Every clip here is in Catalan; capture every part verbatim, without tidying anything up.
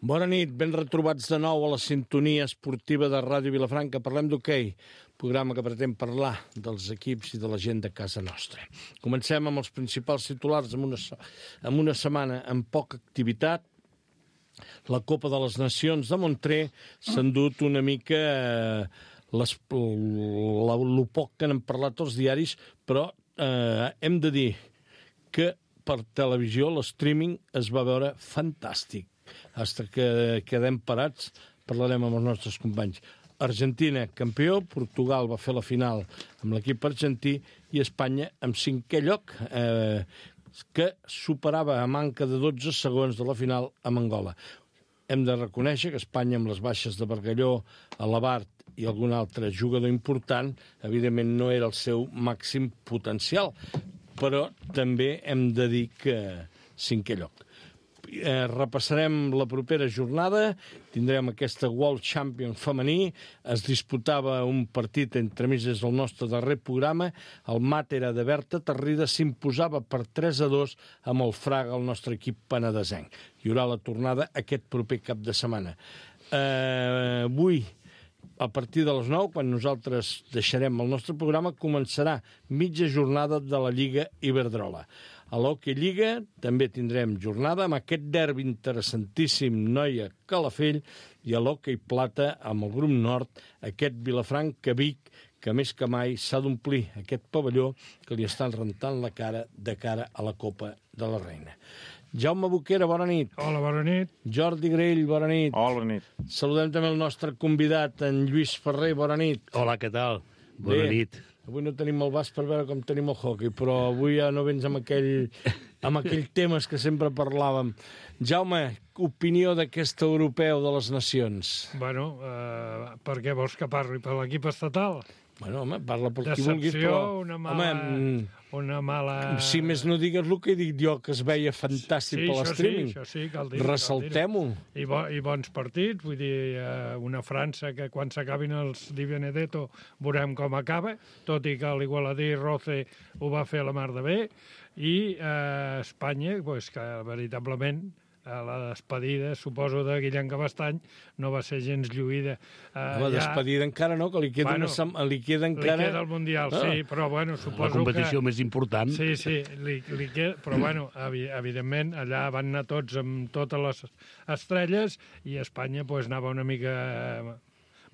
Bona nit, ben retrobats de nou a la sintonia esportiva de Ràdio Vilafranca. Parlem d'hoquei, programa que pretén parlar dels equips i de la gent de casa nostra. Comencem amb els principals titulars amb una, amb una setmana amb poca activitat. La Copa de les Nacions de Montré s'ha endut una mica eh, les, la, lo poc que n'han parlat els diaris, però eh, hem de dir que per televisió l'streaming es va veure fantàstic. Fins que quedem parats, parlarem amb els nostres companys. Argentina, campió, Portugal va fer la final amb l'equip argentí i Espanya amb cinquè lloc, eh, que superava a manca de dotze segons de la final amb Angola. Hem de reconèixer que Espanya, amb les baixes de Bargalló, Alabart i algun altre jugador important, evidentment no era el seu màxim potencial, però també hem de dir que cinquè lloc. Eh, repassarem la propera jornada, tindrem aquesta World Champion femení, es disputava un partit entre mig des del nostre darrer programa, el Màtera de Berta Tarrida s'imposava per tres a dos amb el Fraga, el nostre equip penedesenc. Hi haurà la tornada aquest proper cap de setmana. Eh, avui, a partir de les nou, quan nosaltres deixarem el nostre programa, començarà mitja jornada de la Lliga Iberdrola. A l'Hockey Lliga també tindrem jornada amb aquest derbi interessantíssim Noia-Calafell i a l'Hockey Plata amb el grup nord, aquest Vilafranca-Vic, que més que mai s'ha d'omplir aquest pavelló que li estan rentant la cara de cara a la Copa de la Reina. Jaume Boquera, bona nit. Hola, bona nit. Jordi Grell, bona nit. Hola, bona nit. Saludem també el nostre convidat, en Lluís Ferrer, bona nit. Hola, què tal? Bona Bé, nit. Avui no tenim el bas per veure com tenim el hockey, però avui ja no vens amb aquell, amb aquell temes que sempre parlàvem. Jaume, opinió d'aquest europeu de les nacions? Bueno, eh, per què vols que parli? Per l'equip estatal? Bueno, home, parla per qui Decepció, vulguis, però... una mala... Home, una mala... si més no digues el que dic jo, que es veia fantàstic sí, per l'streaming. Sí, això sí, cal dir-ho. Ressaltem-ho. I, bo, I bons partits, vull dir, eh, una França que quan s'acabin els Di Benedetto veurem com acaba, tot i que l'Igualadí Roce ho va fer a la mar de bé, i eh, Espanya, pues, que veritablement a la despedida, suposo, de Guillem Cabestany, no va ser gens lluïda. Uh, la despedida ja... encara no, que li queda, bueno, una sem... li queda encara... Li queda el Mundial, ah. sí, però bueno, suposo que... La competició que... més important. Sí, sí, li, li queda... però bueno, evidentment, allà van anar tots amb totes les estrelles i Espanya pues, anava una mica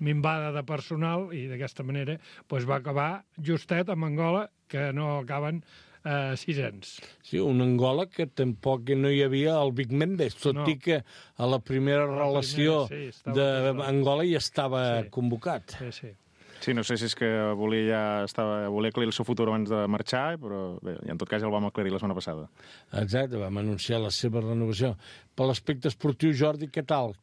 minvada de personal i d'aquesta manera pues, va acabar justet amb Angola, que no acaben Uh, sisens. Sí, un Angola que tampoc no hi havia el Big Mendes, tot no. i que a la primera a la relació primera, sí, d'Angola ja estava sí. convocat. Sí, sí. Sí, no sé si és que volia ja estava, volia aclarir el seu futur abans de marxar, però bé, en tot cas ja el vam aclarir la setmana passada. Exacte, vam anunciar la seva renovació. Per l'aspecte esportiu, Jordi, què tal?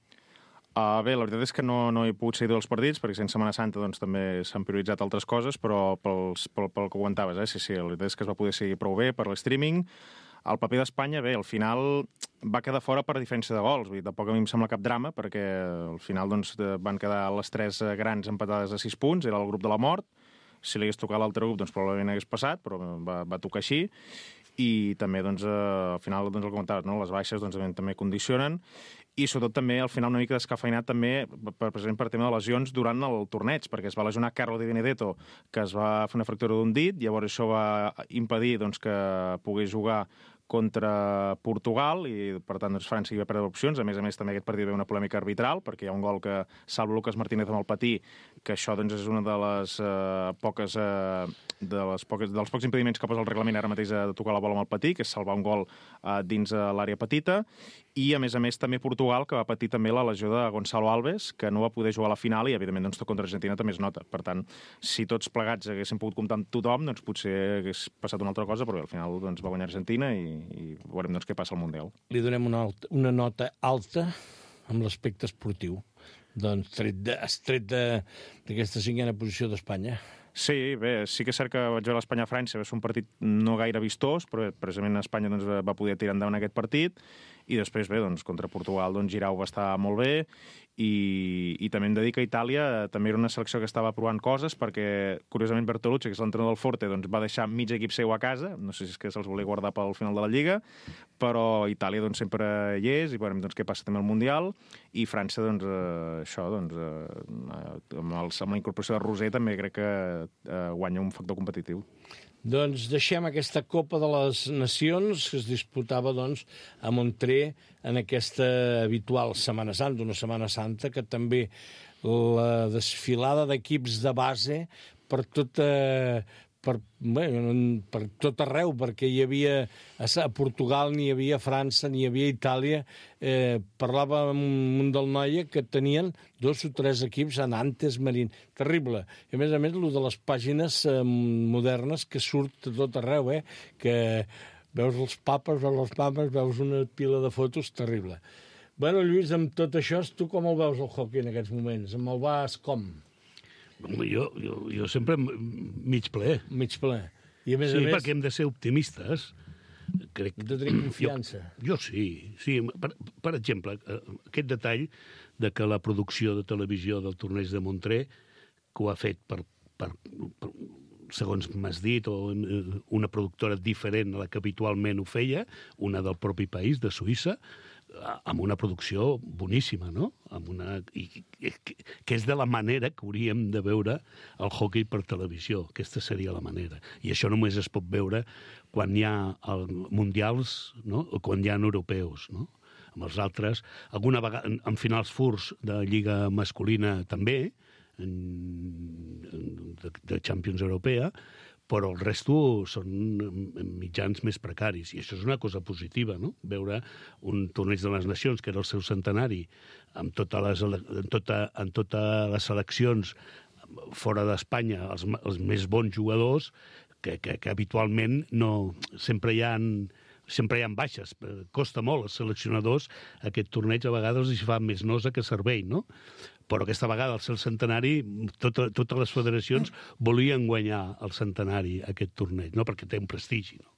Uh, bé, la veritat és que no, no he pogut seguir els partits, perquè sense Setmana Santa doncs, també s'han prioritzat altres coses, però pels, pel, pel que comentaves, eh? sí, sí, la veritat és que es va poder seguir prou bé per l'streaming. El paper d'Espanya, bé, al final va quedar fora per diferència de gols. Vull dir, tampoc a mi em sembla cap drama, perquè al final doncs, van quedar les tres grans empatades a sis punts, era el grup de la mort. Si li hagués tocat l'altre grup, doncs probablement hagués passat, però va, va tocar així. I també, doncs, eh, al final, doncs, el que comentaves, no? Les baixes doncs, també condicionen. I sobretot també, al final, una mica descafeinat també, per, precisament per tema de lesions durant el torneig, perquè es va lesionar Carlo Di Benedetto, que es va fer una fractura d'un dit, llavors això va impedir doncs, que pogués jugar contra Portugal i, per tant, doncs, França hi va perdre opcions. A més a més, també aquest partit va haver una polèmica arbitral, perquè hi ha un gol que salva Lucas Martínez amb el patí, que això doncs, és una de les uh, poques... Uh, de les poques, dels pocs impediments que posa el reglament ara mateix de tocar la bola amb el patí, que és salvar un gol uh, dins uh, l'àrea petita, i a més a més també Portugal, que va patir també la lesió de Gonzalo Alves, que no va poder jugar a la final i evidentment doncs, contra Argentina també es nota. Per tant, si tots plegats haguéssim pogut comptar amb tothom, doncs potser hagués passat una altra cosa, però bé, al final doncs, va guanyar Argentina i, i veurem doncs, què passa al Mundial. Li donem una, alta, una nota alta amb l'aspecte esportiu, doncs tret de, tret d'aquesta cinquena posició d'Espanya. Sí, bé, sí que és cert que vaig veure l'Espanya-França, va ser un partit no gaire vistós, però precisament Espanya doncs, va poder tirar endavant aquest partit, i després, bé, doncs, contra Portugal, doncs, Giroud va estar molt bé, i, i també hem de dir que Itàlia també era una selecció que estava provant coses, perquè, curiosament, Bertolucci, que és l'entrenador del Forte, doncs, va deixar mig equip seu a casa, no sé si és que se'ls volia guardar pel final de la Lliga, però Itàlia, doncs, sempre hi és, i veurem, doncs, què passa també al Mundial, i França, doncs, eh, això, doncs, eh, amb, els, amb la incorporació de Roser també crec que eh, guanya un factor competitiu. Doncs deixem aquesta Copa de les Nacions que es disputava doncs, a Montrer en aquesta habitual Setmana Santa, una Setmana Santa que també la desfilada d'equips de base per tota... Per, bé, per tot arreu, perquè hi havia a Portugal, ni hi havia a França, ni hi havia a Itàlia. Eh, parlava amb un del Noia que tenien dos o tres equips a Nantes, Marín. Terrible. I a més a més, el de les pàgines eh, modernes que surt a tot arreu, eh? Que veus els papes, veus els papes, veus una pila de fotos, terrible. Bueno, Lluís, amb tot això, tu com el veus el hockey en aquests moments? Amb el vas com? Jo, jo, jo sempre mig ple. Mig ple. I a més sí, a més... perquè hem de ser optimistes. Crec... Hem de tenir confiança. Jo, jo sí. sí. Per, per exemple, aquest detall de que la producció de televisió del torneig de Montrer, que ho ha fet per, per, per segons m'has dit, o una productora diferent a la que habitualment ho feia, una del propi país, de Suïssa, amb una producció boníssima, no? Amb una... I, que és de la manera que hauríem de veure el hockey per televisió. Aquesta seria la manera. I això només es pot veure quan hi ha el, mundials, no? O quan hi ha europeus, no? Amb els altres, alguna vegada, en, en finals furs de Lliga masculina també, en, de, de Champions Europea, però el resto són mitjans més precaris, i això és una cosa positiva, no? Veure un torneig de les nacions, que era el seu centenari, amb totes les, en, tota, en totes les seleccions fora d'Espanya, els, els més bons jugadors, que, que, que habitualment no, sempre hi ha... sempre hi ha baixes, costa molt als seleccionadors, aquest torneig a vegades els fa més nosa que servei, no? Però aquesta vegada, al ser el centenari, tot, totes les federacions volien guanyar el centenari, aquest torneig, no? Perquè té un prestigi, no?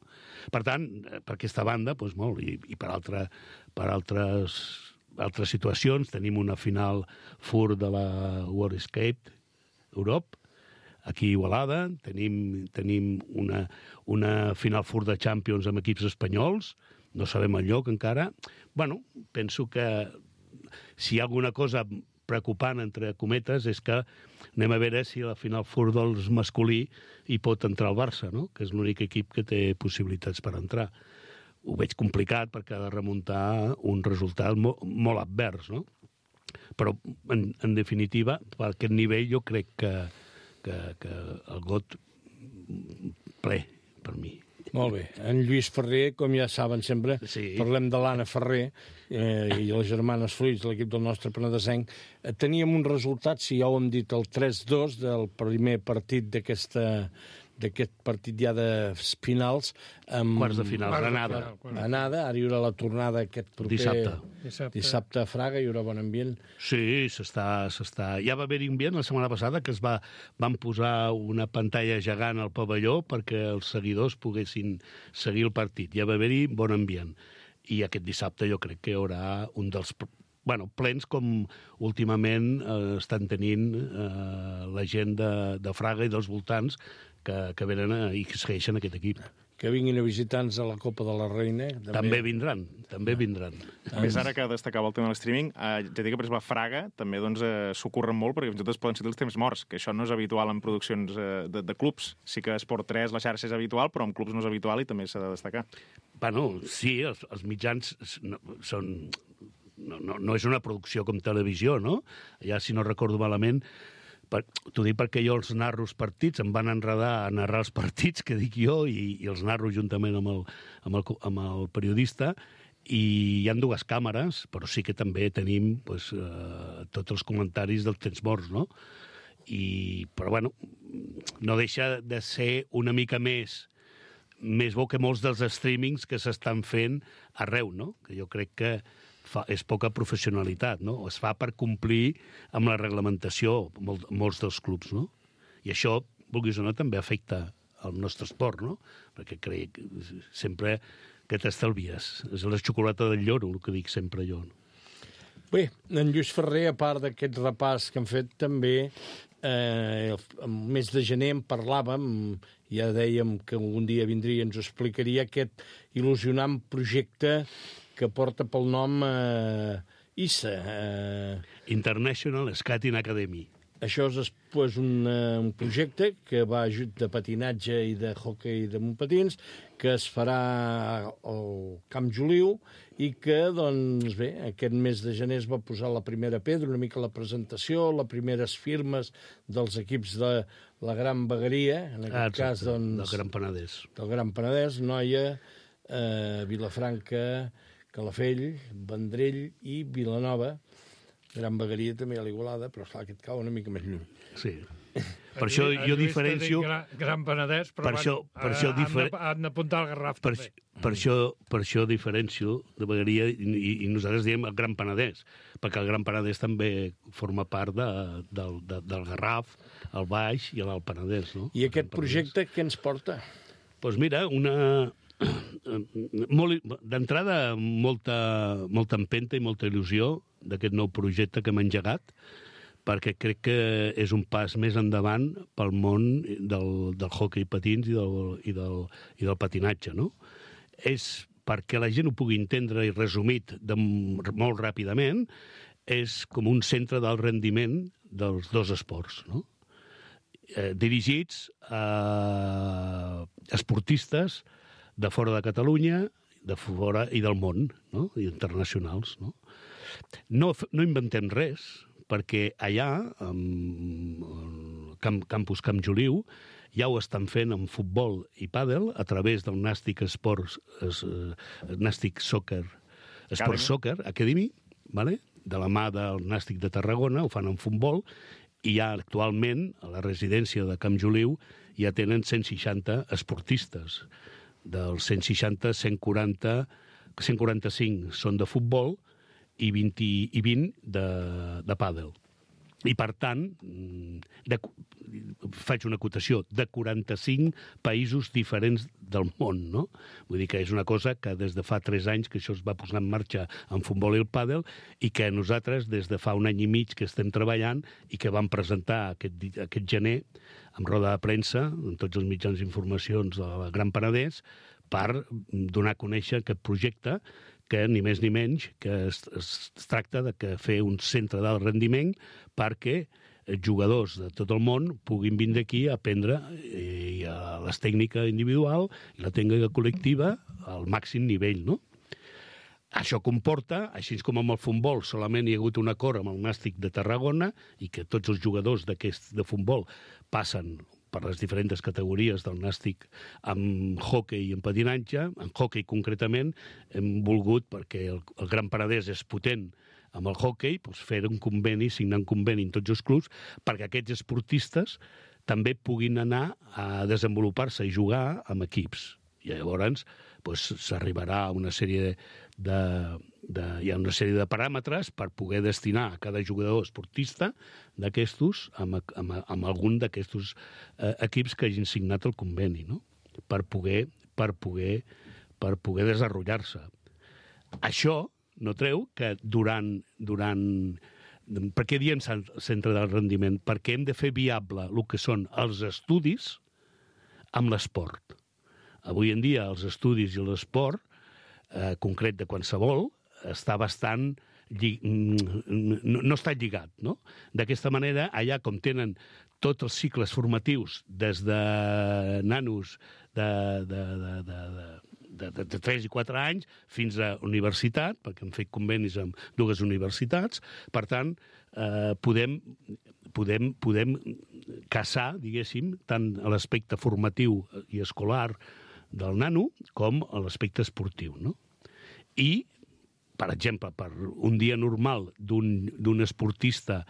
Per tant, per aquesta banda, doncs molt, i, i per, altra, per altres, altres situacions, tenim una final fur de la World Skate Europe, aquí a Igualada, tenim, tenim una, una final fur de Champions amb equips espanyols, no sabem el lloc encara. Bueno, penso que si hi ha alguna cosa preocupant, entre cometes, és que anem a veure si a la final fur dels masculí hi pot entrar el Barça, no? Que és l'únic equip que té possibilitats per entrar. Ho veig complicat perquè ha de remuntar un resultat molt, molt advers, no? Però, en, en definitiva, per aquest nivell jo crec que, que, que el got ple, per mi. Molt bé. En Lluís Ferrer, com ja saben sempre, sí. Parlem de l'Anna Ferrer eh, i les germanes Fruits, l'equip del nostre penedesenc. Eh, teníem un resultat, si ja ho hem dit, el tres dos del primer partit d'aquesta d'aquest partit ja de finals. Amb... Quarts de final, Granada. Granada, ara hi haurà la tornada aquest proper... Dissabte. Dissabte. Dissabte a Fraga, hi haurà bon ambient. Sí, s'està... s'està... Ja va haver-hi ambient la setmana passada que es va... van posar una pantalla gegant al pavelló perquè els seguidors poguessin seguir el partit. Ja va haver-hi bon ambient. I aquest dissabte jo crec que hi haurà un dels... Bueno, plens com últimament eh, estan tenint eh, la gent de, de Fraga i dels voltants que, que venen a, i que segueixen aquest equip. Que vinguin a visitar-nos a la Copa de la Reina. També, també vindran, també vindran. A més, ara que destacava el tema de l'streaming, eh, ja dic que, per exemple, a Fraga també doncs, eh, s'ocorren molt perquè fins i tot poden ser els temps morts, que això no és habitual en produccions eh, de, de clubs. Sí que Esport tres, la xarxa és habitual, però en clubs no és habitual i també s'ha de destacar. Bueno, sí, els, els mitjans no, són... No, no, no és una producció com televisió, no? Ja, si no recordo malament, per, t'ho dic perquè jo els narro els partits, em van enredar a narrar els partits, que dic jo, i, i els narro juntament amb el, amb el, amb el periodista, i hi ha dues càmeres, però sí que també tenim pues, eh, tots els comentaris dels temps morts, no? I, però, bueno, no deixa de ser una mica més més bo que molts dels streamings que s'estan fent arreu, no? Que jo crec que fa, és poca professionalitat, no? Es fa per complir amb la reglamentació, molt, molts dels clubs, no? I això, vulguis o no, també afecta el nostre esport, no? Perquè crec que sempre que t'estalvies. És la xocolata del lloro, el que dic sempre jo. Bé, en Lluís Ferrer, a part d'aquest repàs que han fet, també eh, el mes de gener en parlàvem, ja dèiem que algun dia vindria i ens ho explicaria, aquest il·lusionant projecte que porta pel nom eh, I S A. Eh... International Skating Academy. Això és pues, un, uh, un projecte que va ajut de patinatge i de hoquei de montpatins, que es farà al Camp Joliu i que, doncs bé, aquest mes de gener es va posar la primera pedra, una mica la presentació, les primeres firmes dels equips de la Gran Vegueria, en aquest ah, cas, doncs... Del Gran Penedès. Del Gran Penedès, Noia, eh, Vilafranca, Calafell, Vendrell i Vilanova. Gran Vegueria també a l'Igualada, però clar, que et cau una mica més lluny. Sí. Per això jo diferencio... Gran, gran Penedès, però per això, per això difer... han d'apuntar el Garraf per, també. Per això, per això diferencio de Vegueria i, i, i nosaltres diem el Gran Penedès, perquè el Gran Penedès també forma part de, del, de, del Garraf, el Baix i l'Alt Penedès. No? I aquest projecte què ens porta? Doncs pues mira, una... D'entrada, molta, molta empenta i molta il·lusió d'aquest nou projecte que hem engegat, perquè crec que és un pas més endavant pel món del, del hoquei patins i del, i del, i del patinatge, no? És, perquè la gent ho pugui entendre i resumit de, molt ràpidament, és com un centre d'alt rendiment dels dos esports, no? Eh, dirigits a esportistes de fora de Catalunya, de fora i del món, no? I internacionals, no? No, no inventem res, perquè allà, al camp, Campus Camp Joliu, ja ho estan fent amb futbol i pàdel a través del Nàstic Sports, es, Nàstic Soccer, Sports Soccer Academy, vale? De la mà del Nàstic de Tarragona, ho fan en futbol, i ja actualment, a la residència de Camp Joliu, ja tenen cent seixanta esportistes. Dels cent seixanta, cent quaranta, cent quaranta-cinc són de futbol i vint, i vint de, de pàdel. I, per tant, de, faig una acotació, de quaranta-cinc països diferents del món, no? Vull dir que és una cosa que des de fa tres anys que això es va posar en marxa en futbol i el pàdel i que nosaltres des de fa un any i mig que estem treballant i que vam presentar aquest, aquest gener amb roda de premsa, en tots els mitjans d'informacions del Gran Penedès, per donar a conèixer aquest projecte que ni més ni menys que es, es tracta de que fer un centre d'alt rendiment perquè jugadors de tot el món puguin vindre aquí a aprendre i a les tècniques individual i la tècnica col·lectiva al màxim nivell, no? Això comporta, així com amb el futbol solament hi ha hagut un acord amb el Nàstic de Tarragona i que tots els jugadors d'aquest de futbol passen per les diferents categories del Nàstic amb hoquei i en patinatge. En hoquei concretament hem volgut, perquè el, el Gran Penedès és potent amb el hoquei, doncs fer un conveni, signar un conveni en tots els clubs perquè aquests esportistes també puguin anar a desenvolupar-se i jugar amb equips. I llavors doncs, s'arribarà a una sèrie de, de, hi ha una sèrie de paràmetres per poder destinar a cada jugador esportista d'aquestos amb, amb, amb algun d'aquestos eh, equips que hagin signat el conveni, no? Per poder, per poder, per poder desenvolupar-se. Això no treu que durant... durant per què diem centre del rendiment? Perquè hem de fer viable el que són els estudis amb l'esport. Avui en dia els estudis i l'esport, eh, concret de qualsevol, està bastant... Llig... no, no està lligat, no? D'aquesta manera, allà com tenen tots els cicles formatius des de nanos de, de, de, de, de, de, de tres i quatre anys fins a universitat, perquè hem fet convenis amb dues universitats, per tant, eh, podem, podem, podem caçar, diguéssim, tant a l'aspecte formatiu i escolar del nano com a l'aspecte esportiu, no? I, per exemple, per un dia normal d'un esportista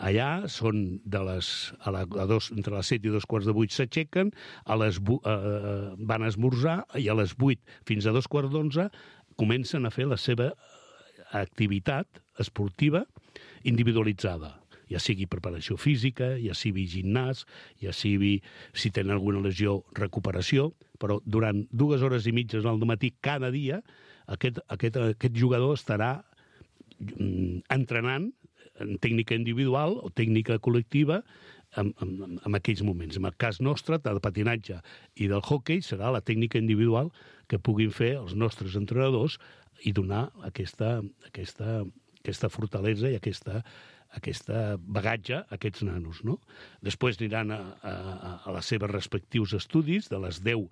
allà són de les, a la, a dos, entre les set i dos quarts de vuit s'aixequen, a les, eh, van a esmorzar i a les vuit fins a dos quarts d'onze comencen a fer la seva activitat esportiva individualitzada. ja sigui preparació física, ja sigui gimnàs, ja sigui, si tenen alguna lesió, recuperació, però durant dues hores i mitges al matí cada dia aquest, aquest, aquest jugador estarà entrenant en tècnica individual o tècnica col·lectiva en, en, en aquells moments. En el cas nostre, del patinatge i del hoquei, serà la tècnica individual que puguin fer els nostres entrenadors i donar aquesta, aquesta, aquesta fortalesa i aquesta, aquesta bagatge a aquests nanos, no? Després aniran a, a, a les seves respectius estudis, de les deu,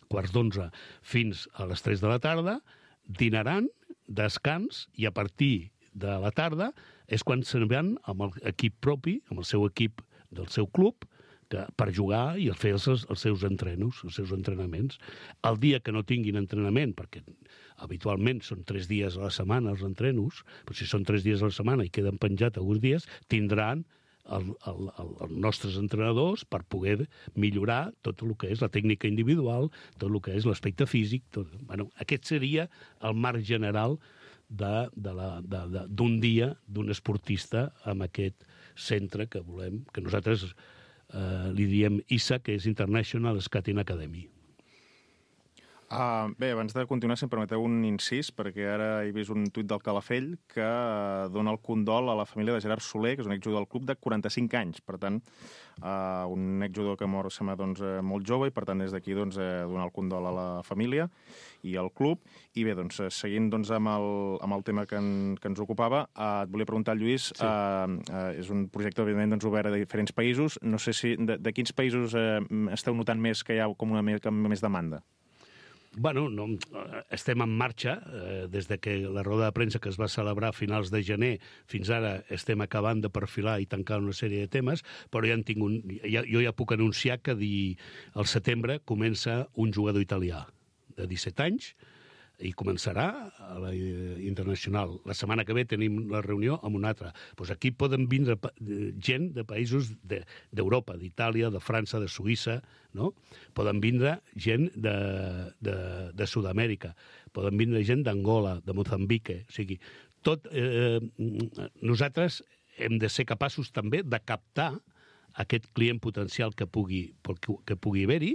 quarts d'onze fins a les tres de la tarda, dinaran, descans, i a partir de la tarda és quan se'n van amb l'equip propi, amb el seu equip del seu club, que, per jugar i fer els, els seus entrenos, els seus entrenaments. El dia que no tinguin entrenament, perquè habitualment són tres dies a la setmana els entrenos, però si són tres dies a la setmana i queden penjats alguns dies, tindran el, el, el, els nostres entrenadors per poder millorar tot el que és la tècnica individual, tot el que és l'aspecte físic. Tot. Bueno, aquest seria el marc general de, de la, de, de, d'un dia d'un esportista amb aquest centre que volem, que nosaltres eh, li diem I S A, que és International Skating Academy. Uh, bé, abans de continuar, si em permeteu un incís, perquè ara he vist un tuit del Calafell que uh, dona el condol a la família de Gerard Soler, que és un exjugador del club de quaranta-cinc anys. Per tant, uh, un exjugador que mor, sembla, doncs, uh, molt jove, i per tant, des d'aquí, doncs, uh, donar el condol a la família i al club. I bé, doncs, seguint doncs, amb, el, amb el tema que, en, que ens ocupava, uh, et volia preguntar, Lluís, sí. uh, uh, és un projecte, òbviament, doncs, obert a diferents països. No sé si de, de quins països uh, esteu notant més que hi ha com una més demanda? Bueno, no, estem en marxa. Eh, des de que la roda de premsa que es va celebrar a finals de gener fins ara estem acabant de perfilar i tancar una sèrie de temes, però ja en tinc un, ja, jo ja puc anunciar que di, al setembre comença un jugador italià de disset anys i començarà a la internacional. La setmana que ve tenim la reunió amb un altre. Pues aquí poden vindre gent de països de, d'Europa, d'Itàlia, de França, de Suïssa, no? Poden vindre gent de, de, de Sud-amèrica, poden vindre gent d'Angola, de Mozambique. O sigui, tot, eh, nosaltres hem de ser capaços també de captar aquest client potencial que pugui, que pugui haver-hi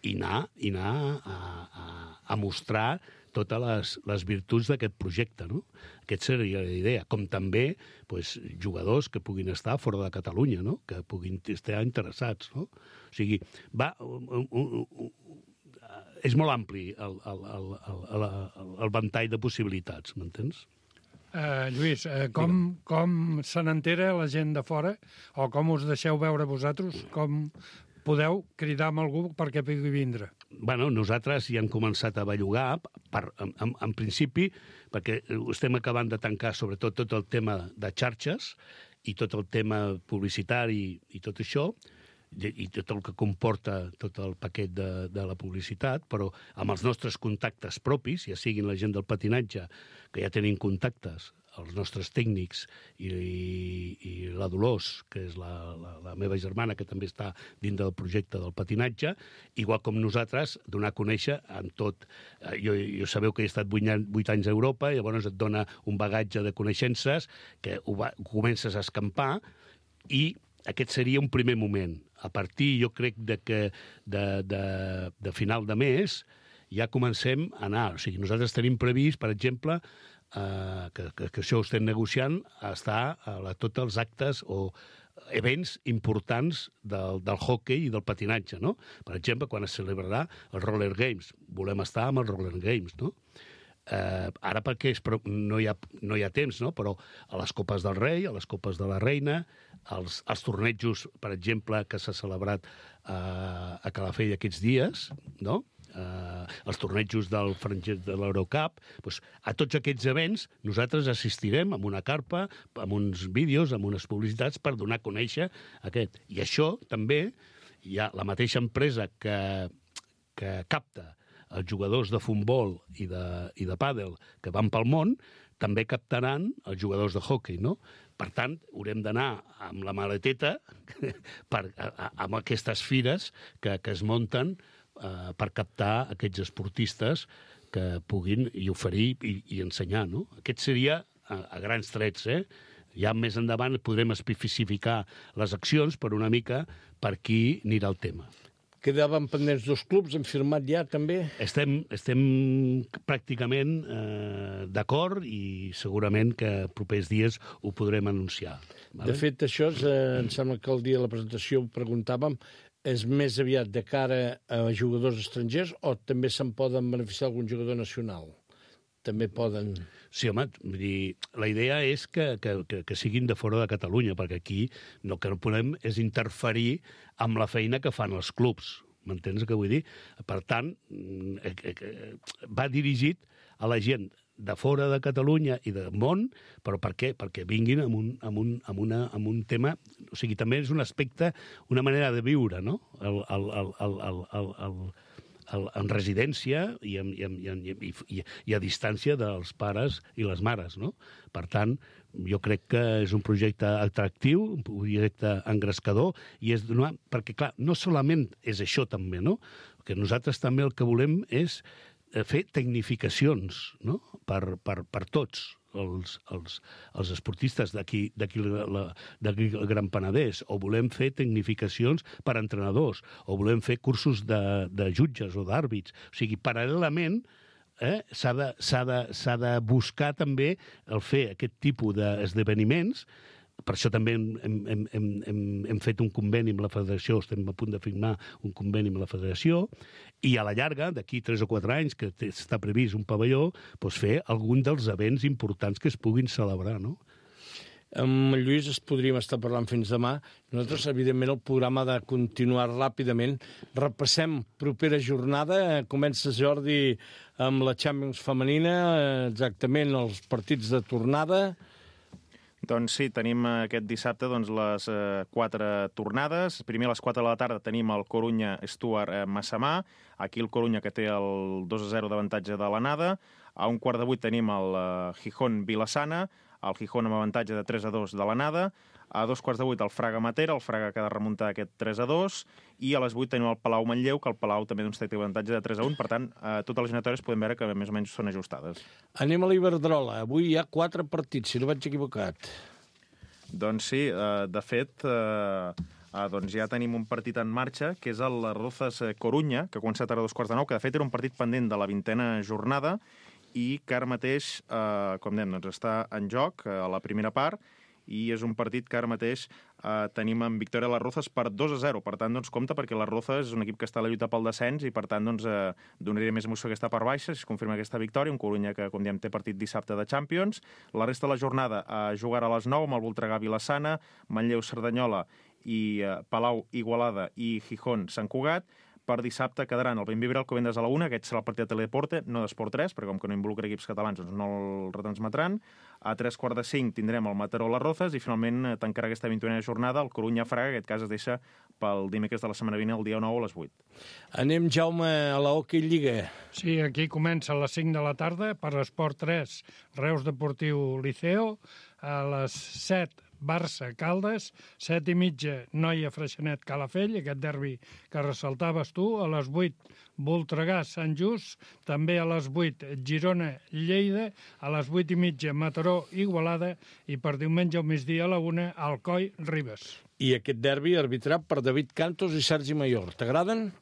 i anar, i anar a, a, a mostrar totes les, les virtuts d'aquest projecte, no? Aquesta seria la idea. Com també pues, jugadors que puguin estar fora de Catalunya, no? Que puguin estar interessats, no? O sigui, va, un, un, un, és molt ampli el, el, el, el, el, el ventall de possibilitats, m'entens? Uh, Lluís, uh, com, com se n'entera la gent de fora, o com us deixeu veure vosaltres, com podeu cridar amb algú perquè pugui vindre? Bueno, nosaltres ja hem començat a bellugar, per, en, en, en principi, perquè estem acabant de tancar sobretot tot el tema de xarxes i tot el tema publicitari i tot això, i tot el que comporta tot el paquet de, de la publicitat, però amb els nostres contactes propis, ja siguin la gent del patinatge, que ja tenim contactes, els nostres tècnics i, i, i la Dolors, que és la, la, la meva germana, que també està dins del projecte del patinatge, igual com nosaltres, donar a conèixer en tot. Jo, jo sabeu que he estat vuit anys a Europa, i llavors et dona un bagatge de coneixences que ho, va, ho comences a escampar, i aquest seria un primer moment. A partir, jo crec, de que de, de, de final de mes ja comencem a anar. O sigui, nosaltres tenim previst, per exemple, eh, que, que, que això ho estem negociant, a estar a la, tots els actes o events importants del, del hockey i del patinatge, no? Per exemple, quan es celebrarà el Roller Games. Volem estar amb el Roller Games, no? Eh, ara perquè és, no, hi ha, no hi ha temps, no? Però a les Copes del Rei, a les Copes de la Reina, als, als tornejos, per exemple, que s'ha celebrat eh, a Calafell aquests dies, no? Eh, els tornejos del francès de l'Eurocup, doncs, a tots aquests events nosaltres assistirem amb una carpa, amb uns vídeos, amb unes publicitats per donar a conèixer aquest. I això també hi ha la mateixa empresa que, que capta els jugadors de futbol i de, i de pàdel que van pel món, també captaran els jugadors de hoquei, no? Per tant, haurem d'anar amb la maleteta per, a, a, amb aquestes fires que, que es munten eh, per captar aquests esportistes que puguin i oferir i, i ensenyar, no? Aquest seria, a, a grans trets, eh? Ja més endavant podrem especificar les accions per una mica per qui anirà el tema. Quedaven pendents dos clubs, han firmat ja també? Estem, estem pràcticament eh, d'acord i segurament que propers dies ho podrem anunciar. Vale? De fet, això és, eh, em sembla que el dia de la presentació ho preguntàvem, és més aviat de cara a jugadors estrangers o també se'n poden beneficiar algun jugador nacional? També poden... Sí, home, vull dir, la idea és que, que, que, que siguin de fora de Catalunya, perquè aquí no, que no podem és interferir amb la feina que fan els clubs. M'entens què vull dir? Per tant, eh, eh, va dirigit a la gent de fora de Catalunya i del món, però per què? Perquè vinguin amb un, amb un, amb una, amb un tema... O sigui, també és un aspecte, una manera de viure, no? El, el, el, el, el, el, el, en residència i, en, i, en, i, i, i a distància dels pares i les mares, no? Per tant, jo crec que és un projecte atractiu, un projecte engrescador, i és donar... Perquè, clar, no solament és això també, no? Que nosaltres també el que volem és fer tecnificacions, no? Per, per, per tots els, els, els esportistes d'aquí el Gran Penedès, o volem fer tecnificacions per a entrenadors, o volem fer cursos de, de jutges o d'àrbits. O sigui, paral·lelament, eh, s'ha de, s'ha de, s'ha de buscar també el fer aquest tipus d'esdeveniments. Per això també hem, hem, hem, hem, hem fet un conveni amb la federació, estem a punt de firmar un conveni amb la federació, i a la llarga, d'aquí tres o quatre anys, que està previst un pavelló, doncs fer algun dels events importants que es puguin celebrar, no? Amb Lluís es podríem estar parlant fins demà. Nosaltres, evidentment, el programa ha de continuar ràpidament. Repassem propera jornada. Comença, Jordi, amb la Champions femenina, exactament els partits de tornada. Doncs sí, tenim aquest dissabte doncs, les eh, quatre tornades. Primer a les quatre de la tarda tenim el Corunya-Stuart eh, Massamà. Aquí el Corunya, que té el dos a zero d'avantatge de l'anada. A un quart de vuit tenim el eh, Gijón-Vilassana, el Gijón amb avantatge de tres a dos de l'anada. A dos quarts de vuit el Fraga-Matera, el Fraga que ha de remuntar aquest tres a dos. I a les vuit tenim el Palau-Manlleu, que el Palau també doncs, té avantatge de tres a un. Per tant, eh, totes les eliminatòries podem veure que més o menys són ajustades. Anem a l'Iberdrola. Avui hi ha quatre partits, si no vaig equivocat. Doncs sí, eh, de fet, eh, eh, doncs ja tenim un partit en marxa, que és el Rozas Corunya, que ha començat ara a dos quarts de nou, que de fet era un partit pendent de la vintena jornada i que ara mateix, eh, com dèiem, doncs està en joc eh, a la primera part, i és un partit que ara mateix eh, tenim en victòria a les Rozas per dos a zero. Per tant, doncs, compte, perquè les Rozas és un equip que està a la lluita pel descens i, per tant, doncs, eh, donaria més emoció aquesta part baixa, si es confirma aquesta victòria. Un Corunya que, com diem, té partit dissabte de Champions. La resta de la jornada eh, jugarà a les nou amb el Voltregà Vilassana, Manlleu Cerdanyola i eh, Palau Igualada i Gijón Sant Cugat. Per dissabte quedaran el Benvibre Alcobendas a la una, aquest serà el partit de Teledeporte, no d'Esport tres, perquè com que no involucra equips catalans doncs no el retransmetran. A tres quarts de cinc tindrem el Mataró Las Rozas i finalment tancarà aquesta vintena jornada el Corunya Fraga, en aquest cas es deixa pel dimecres de la setmana vinent, el dia nou a les vuit. Anem, Jaume, a la Hockey Lliga. Sí, aquí comença a les cinc de la tarda per l'Esport tres, Reus Deportiu Liceo, a les set Barça, Caldes, set i mitja, Noia, Freixenet, Calafell, aquest derbi que ressaltaves tu, a les vuit, Voltregà, Sant Just, també a les vuit, Girona, Lleida, a les vuit i mitja, Mataró, Igualada, i per diumenge al migdia a la una, Alcoi, Ribes. I aquest derbi arbitrat per David Cantos i Sergi Mayor. T'agraden?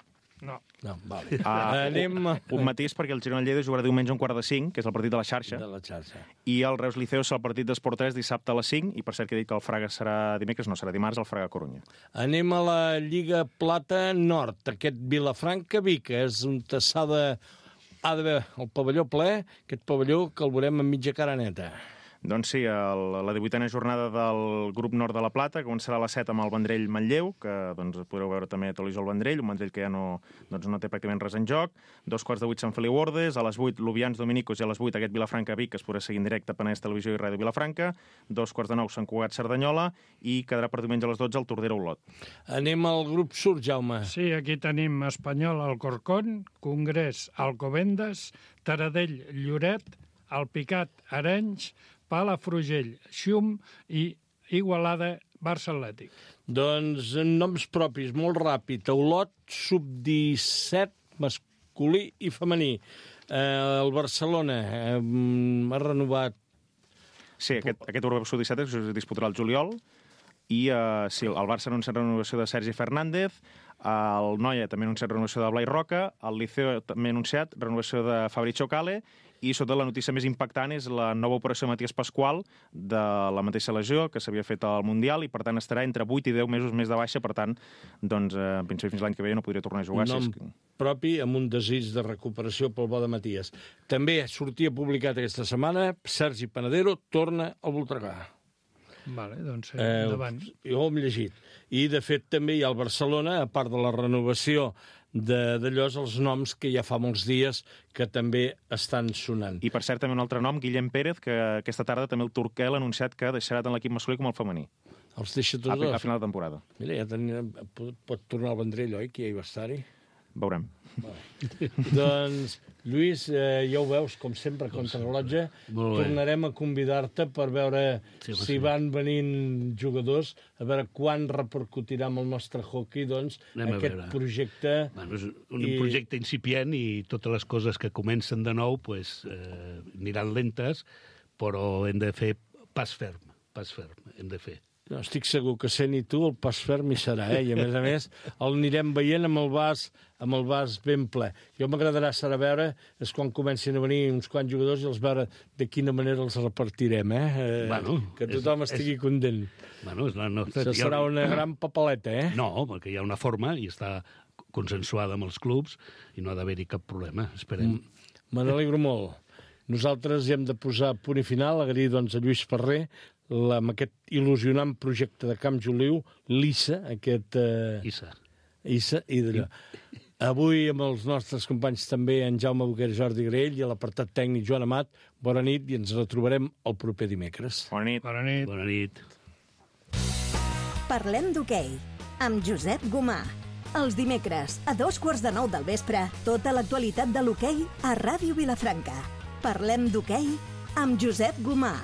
No. No, vale. Uh, Anem... Un, un matís, perquè el Girona Lleida jugarà diumenge a un quart de cinc, que és el partit de la xarxa, de la xarxa. I el Reus Liceo serà el partit d'Esport tres dissabte a les cinc, i per cert que he dit que el Fraga serà dimecres, no, serà dimarts, el Fraga Corunya. Anem a la Lliga Plata Nord, aquest Vilafranca-Vic, és un s'ha de... ha d'haver el pavelló ple, aquest pavelló que el veurem amb mitja cara neta. Doncs sí, el, la divuitena jornada del grup nord de la Plata, que començarà a les set amb el Vendrell Manlleu, que doncs, podreu veure també a televisió el Vendrell, un Vendrell que ja no, doncs, no té pràcticament res en joc. Dos quarts de vuit Sant Feliu Ordes, a les vuit Lubians Dominicos i a les vuit aquest Vilafranca-Vic, que es podrà seguir en directe a Penedès Televisió i Ràdio Vilafranca. Dos quarts de nou Sant Cugat Cerdanyola i quedarà per diumenge a les dotze el Tordera Olot. Anem al grup sud, Jaume. Sí, aquí tenim Espanyol Alcorcón, Congrés Alcobendas, Taradell Lloret, Alpicat Arenys, Palafrugell, Xum i Igualada, Barça Atlètic. Doncs noms propis, molt ràpid. Olot, sub disset, masculí i femení. Eh, el Barcelona eh, ha renovat Sí, aquest, aquest Europa Sud disset es disputarà el juliol, i uh, sí, el Barça ha anunciat renovació de Sergi Fernández, el Noia també ha anunciat renovació de Blai Roca, el Liceo també ha anunciat renovació de Fabrizio Cale, i sobretot la notícia més impactant és la nova operació de Matías Pascual de la mateixa lesió que s'havia fet al Mundial, i per tant estarà entre vuit i deu mesos més de baixa, per tant, doncs, eh, en principi fins l'any que ve no podria tornar a jugar. Nom si és... propi amb un desig de recuperació pel bo de Matías. També sortia publicat aquesta setmana, Sergi Panadero torna al Voltregà. Vale, doncs, eh, Eh, endavant. jo ho hem llegit. I, de fet, també hi ha al Barcelona, a part de la renovació de d'allò, els noms que ja fa molts dies que també estan sonant. I, per cert, també un altre nom, Guillem Pérez, que aquesta tarda també el Turquel ha anunciat que deixarà tant l'equip masculí com el femení. Els deixa tots A, dos. a final de temporada. Mira, ja tenia, pot, pot tornar al Vendrell, oi, que ja hi va estar-hi? Veurem. Doncs, Lluís, eh, ja ho veus, com sempre, contra rellotge. Molt bé. Tornarem a convidar-te per veure Sí, home, si sí. van venint jugadors, a veure quan repercutirà amb el nostre hockey, doncs, Anem a aquest veure. projecte. Bueno, és un I- projecte incipient i totes les coses que comencen de nou pues, eh, aniran lentes, però hem de fer pas ferm, pas ferm, hem de fer. No, estic segur que sent i tu el pas ferm hi serà, eh? I a més a més el anirem veient amb el vas, amb el vas ben ple. Jo m'agradarà serà veure és quan comencin a venir uns quants jugadors i els veure de quina manera els repartirem, eh? eh Bueno, que tothom és- estigui és- content. Bueno, és la nostra... Això serà una gran papeleta, eh? No, perquè hi ha una forma i està consensuada amb els clubs i no ha d'haver-hi cap problema, esperem. Mm. Me n'alegro molt. Nosaltres hi hem de posar punt i final, agrair doncs, a Lluís Ferrer la, amb aquest il·lusionant projecte de Camp Joliu, l'I S A, aquest... Eh, Issa. I S A, i d'allò. Avui amb els nostres companys també, en Jaume Boquer, Jordi Graell, i a l'apartat tècnic Joan Amat, bona nit i ens retrobarem el proper dimecres. Bona nit. Bona nit. Bona nit. Parlem d'hoquei, amb Josep Gomà. Els dimecres, a dos quarts de nou del vespre, tota l'actualitat de l'hoquei a Ràdio Vilafranca. Parlem d'hoquei amb Josep Gomà.